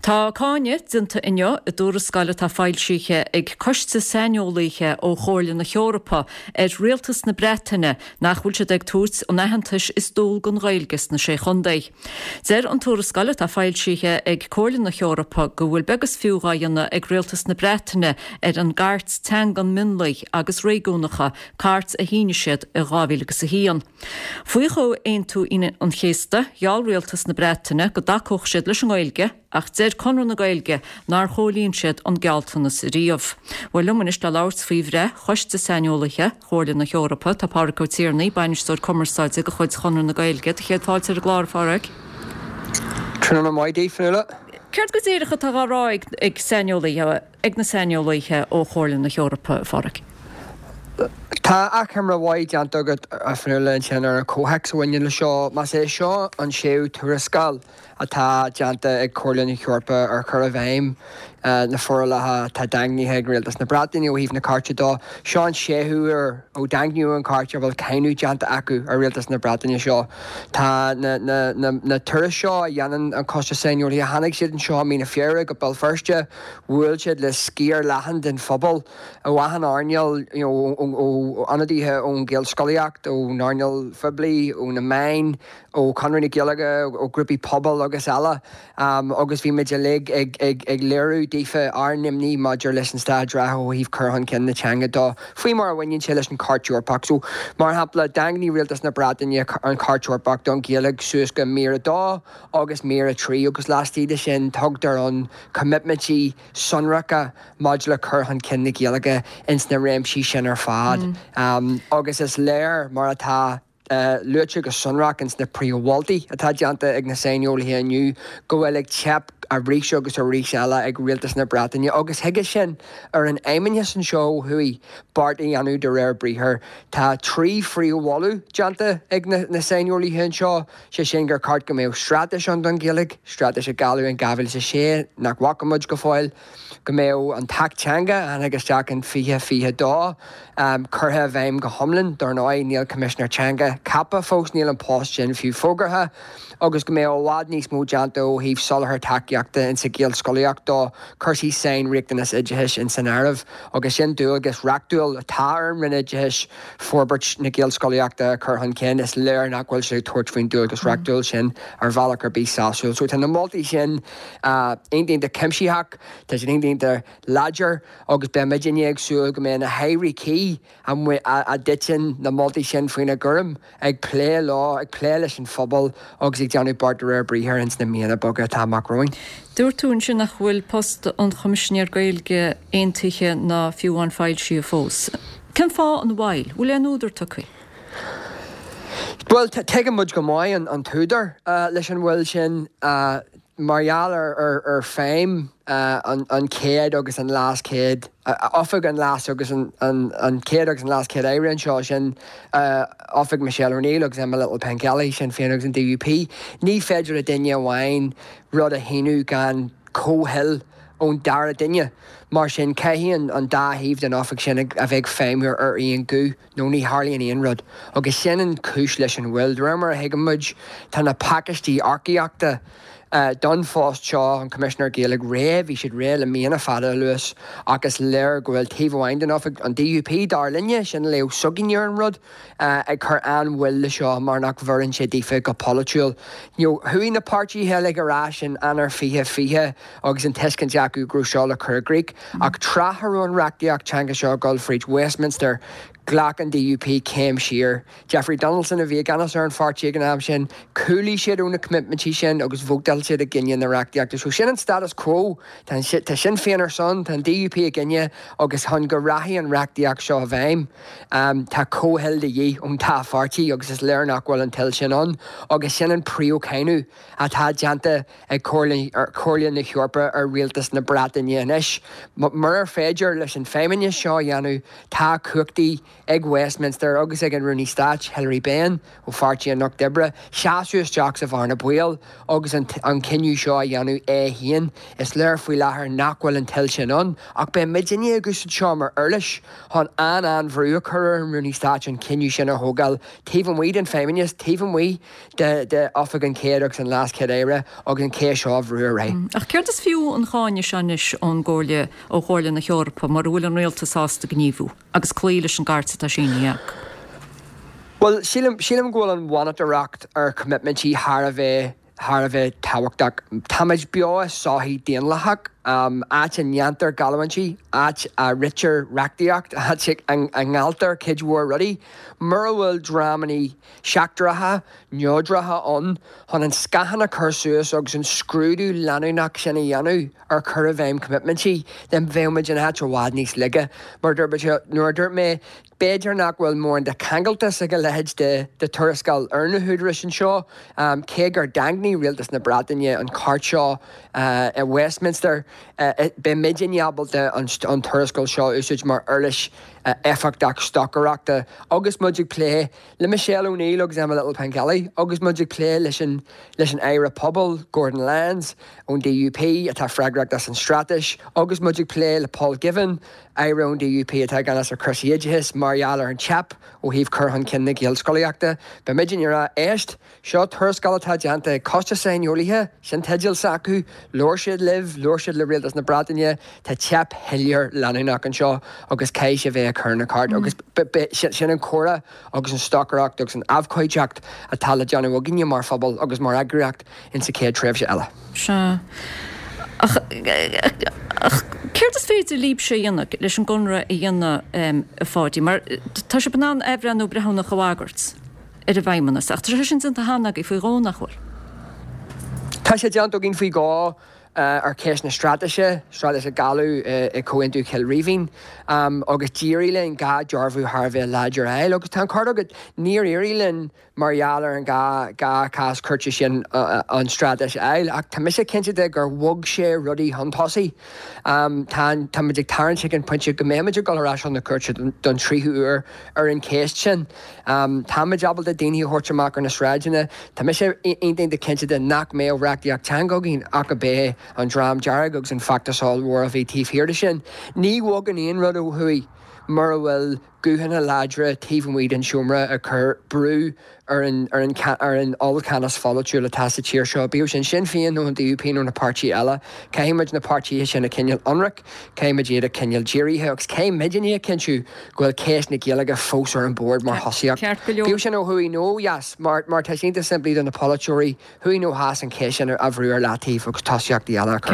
Tá cáineadh déanta inniu i dtuarascáil atá foilsithe ag coiste saineolaithe ó Chomhairle na hEorpa ar Rialtas na Breataine nach bhfuil siad ag tabhairt an aitheantais is dual don Ghaeilge sna Sé Chontae. Deir an tuarascáil atá foilsithe ag Comhairle na hEorpa go bhfuil beag is fiú dhá dhéanamh ag Rialtas na Breataine ar an gCairt Teangan Mionlaigh agus Réigiúnacha, cairt a shínigh siad i 2001. Faoi Chomhaontú Aoine an Chéasta, gheall Rialtas na Breataine go dtacódh siad leis an nGaeilge ach deir Conradh na Gaeilge nár chomhlíon siad an gealltanas riamh. Bhuel, liom anois le labhairt faoi bhreith Choiste Saineolaithe Chomhairle na hEorpa, tá Pádraig Ó Tiarnaigh, Bainisteoir Cumarsáide de chuid Chonradh na Gaeilge. Do chéad fáilte ar an gclár, a Phádraig. Tráthnóna maith daoibh, Fionnuala. Céard go díreach atá á rá ag saineolaithe? ag na saineolaithe ó Chomhairle na hEorpa, a Phádraig. Tá achoimre mhaith déanta agat, a Fhionnuala, ansin ar an chomhthéacs a bhaineann le seo. Más é seo an séú tuarascáil atá déanta ag Comhairle na hEorpa ar chur i bhfeidhm na forálacha atá daingnithe ag Rialtas na Breataine ó thaobh na Cairte dó, seo an séú huair ó daingníodh an Chairt a bhfuil cáineadh déanta acu ar Rialtas na Breataine seo. Tá na turais seo a dhéanann an Coiste Saineolaithe, tháinig siad anseo i mí na Feabhra go Béal Feirste, Bhuail siad le sciar leathan den phobal ó achan earnáil, ó ionadaithe ón Ghaelscolaíocht, ón earnáil phoiblí, ó na meáin, ó Chonradh na Gaeilge, ó ghrúpaí pobail agus eile agus bhí muid uilig ag léiriú daofa ár n-imní maidir leis an staid reatha ó thaobh cur chun cinn na teanga dó, faoi mar a bhaineann sé leis an Chairt Eorpach. So, mar shampla, dhaingnigh Rialtas na Breataine an Chairt Eorpach don Ghaeilge suas go mír 2 agus mír 3 agus laistigh de sin tugtar an coimitmintí sonracha maidir le cur chun cinn na Gaeilge ins na réimsí sin ar fad agus is léir, mar atá luaite go sonrach ins na príomh-mholtaí atá déanta ag na saineolaithe inniu, go bhfuil ag teip arís agus arís eile ag Rialtas na Breataine agus chuige sin ar an Fheidhmeannas anseo ó thuaidh beart a dhéanamh de réir briathair. Tá 3 phríomh-mholadh déanta ag na saineolaithe anseo. Sé sin gur cheart go mbeadh straitéis ann don Ghaeilge, straitéis a gealladh in 2006 nach bhfaca muid go fóill, go mbeadh an tAcht Teanga, a tháinig isteach in 2022, curtha i bhfeidhm go hiomlán. Dar ndóigh, níl Coimisinéir Teanga ceaptha fós, níl an post sin fiú fógartha, agus go mbeadh i bhfad níos mó déanta ó thaobh soláthar tacaíochta insa Ghaelscolaíocht dó, cúrsaí sainriachtanas oideachais ins an áireamh, agus sin dualgas reachtúil atá ar an Roinn Oideachais. forbairt na Gaelscolaíochta a chur chun cinn, is léir nach bhfuil siad ag tabhairt faoin dualgas reachtúil sin ar bhealach ar bith sásúil. So tá na moltaí sin iontach cuimsitheach, tá siad iontach láidir agus beidh muidinne ag súil go mbeidh na hairí cuí a dtiteann na moltaí sin faoina gcúram ag plé leo, ag plé leis an phobal agus ag déanamh beart de réir briathair ins na míonna beaga atá amach romhainn. Dúirt tú ansin nach bhfuil post an Choimisinéir Gaeilge aontaithe ná fiú amháin foilsithe fós. Cén fáth an mhoill? Bhfuil aon údar tugtha? Bhuel, tuigeann muid go maith an t-údar leis an mhoill sin. Mar gheall ar feidhm an chéad agus an leas-chéad, oifig an leas agus an chéad agus an leas-chéad aire anseo, sin oifig Michelle O'Neill agus Emma Little-Pengelly, Sinn Féin agus an DUP, ní féidir le duine amháin rud a shíniú gan comhthoil ón dara duine. Mar sin, caithfidh an dá thaobh den oifig sin a bheith ag feidhmiú ar aon ghuth, nó ní tharlaíonn aon rud. Agus sin an chúis leis an mhoill. De réir mar a thuigeann muid, tá na pacáistí earcaíochta don phost seo, an Coimisinéir Gaeilge, réidh, bhí siad réidh le míonna fada anuas, ach is léir go bhfuil taobh amháin den oifig, an DUP, dar linne, sin léamh s'againne ar an rud, ag cur an-mhoill le seo mar nach bhfóireann sé daofa go polaitiúil. You know, chuaigh na páirtithe uilig ar ais in Eanáir 2020 agus an tuiscint acu go raibh seo le cur i gcrích, ach tráth a raibh an reachtaíocht teanga seo ag dul fríd Westminster, ghlac an DUP céim siar. Jeffrey Donaldson a bhí i gceannas ar an pháirtí ag an am sin. Chúlaigh siad ó na coimitmintí sin agus vótáil siad i gcoinne na reachtaíochta. So sin an status quo. Tá Sinn Féin ar son, tá an DUP i gcoinne agus chun go rachaidh an reachtaíocht seo i bhfeidhm, Tá comhthoil de dhíth ón dá pháirtí agus is léir nach bhfuil an toil sin ann agus sin an príomhcháineadh atá déanta ag Comhairle na hEorpa ar rialtas na Breataine anois. Murar féidir leis an Feidhmeannas seo a dhéanamh, tá cumhachtaí. ag Westminster agus ag an Rúnaí Stáit, Hilary Benn ó Pháirtí an Lucht Oibre, seasamh isteach sa bhearna baoil agus an cinneadh seo a dhéanamh é féin. Is léir faoi láthair nach bhfuil an toil sin ann, ach beidh muidinne ag úsáid seo mar uirlis chun an-an-bhrú a chur ar an Rúnaí Stáit an cinneadh sin a thógáil taobh amuigh den Feidhmeannas, taobh amuigh de Oifig an Chéad agus an LeasChéad-Aire agus an cheist seo a bhrú ar aghaidh. Ach céard is fiú an cáineadh seo anois ón gComhairle, ó Chomhairle na hEorpa mura bhfuil an rialtas sásta gníomhú agus cloí leis an gcairt atá sínithe acu? Bhuel, sílim, sílim go bhfuil an mhonatóireacht ar choimitmintí thar a bheith, thar a bheith tábhachtach. Táimid beo i sochaí daonlathach, áit a ndéantar geallúintí, áit a ritear reachtaíocht, áit a ngealltar cuid mhór rudaí. Mura bhfuil dreamanna seachtracha, neodracha ann chun an scáthán a chur suas agus an scrúdú leanúnach sin a dhéanamh ar chur i bhfeidhm coimitmintí, then bheadh muid in áit i bhfad níos laige. Mar nuair a dúirt mé, b'fhéidir nach bhfuil mórán de cheangaltas ag a leithéid de tuarascáil ar na húdaráis anseo, cé gur daingnigh rialtas na Breataine an chairt seo i Westminster, beidh muidinne ábalta an tuarascáil seo a úsáid mar uirlis éifeachtach stocaireachta agus muid ag plé le Michelle O'Neill agus Emma Little-Pengelly agus muid ag plé leis an leis an Aire Pobal, Gordon Lyons, ón DUP, atá freagrach as an straitéis, agus muid ag plé le Paul Givan, Aire ón DUP atá i gceannas ar chúrsaí oideachais, mar gheall ar an teip ó thaobh cur chun cinn na Gaelscolaíochta. Beidh muid ag rá, éist, seo tuarascáil atá déanta ag coiste saineolaithe, sin teideal s'acu, labhair siad libh, labhair siad le Rialtas na Breataine, tá teip shoiléir leanúnach anseo agus caithfidh sibh bheith ag cur na ceart agus sin an comhrá agus an stocaireacht agus an abhcóideacht atá le déanamh againne mar phobal agus mar eagraíocht insa chéad tréimhse eile. Sea. Ach, ach céard is féidir libhse a dhéanamh leis an gConradh a dhéanamh, a Pháidí? Mar tá sibh in ann athbhreithniú breithiúnach a bhagairt ar an bhFeidhmeannas, ach tá sé sin déanta cheana agaibh faoi dhó, nach bhfuil? Tá sé déanta againn faoi dhó ar cheist na straitéise, straitéis a gealladh i Comhaontú Chill Rímhinn, agus d'éirigh linn 2 dearbhú thar a bheith láidir a fháil. Agus tá an ceart agat, níor éirigh linn mar gheall ar an 2 chás cúirte sin an straitéis a fháil, ach tá mise cinnte de gur bhog sé rudaí chun tosaigh. Tá táimid ag tarraingt chuig an pointe go mbeimid ag dul ar ais chun na cúirte don tríú huair ar an cheist sin. Táimid ábalta daoine a thabhairt amach ar na sráideanna. Tá mise iontach cinnte de nach mbeadh reachtaíocht teanga againn ach ab é an Dream Dearg agus an feachtas ollmhór a bhí taobh thiar de sin. Ní bhogann aon rud ó thuaidh mura bhfuil guthanna láidre taobh amuigh den seomra ag cur brú ar an ar an ar an ollcheannas pholaitiúil atá sa tír seo, bíodh sin Sinn Féin nó an DUP nó na páirtithe eile. Caithfidh muid na páirtithe sin a choinneáil ionraic, caithfidh muid iad a choinneáil dírithe agus caithfidh muidinne a chinntiú go bhfuil ceist na Gaeilge fós ar an bord mar thosaíocht. Ceart go leor. Bíodh sin ó thuaidh nó ó dheas, mar mar tá sé iontach simplí do na polaiteoirí, thuaidh nó theas, an cheist sin a bhrú ar leataobh agus tosaíochtaí eile a chur.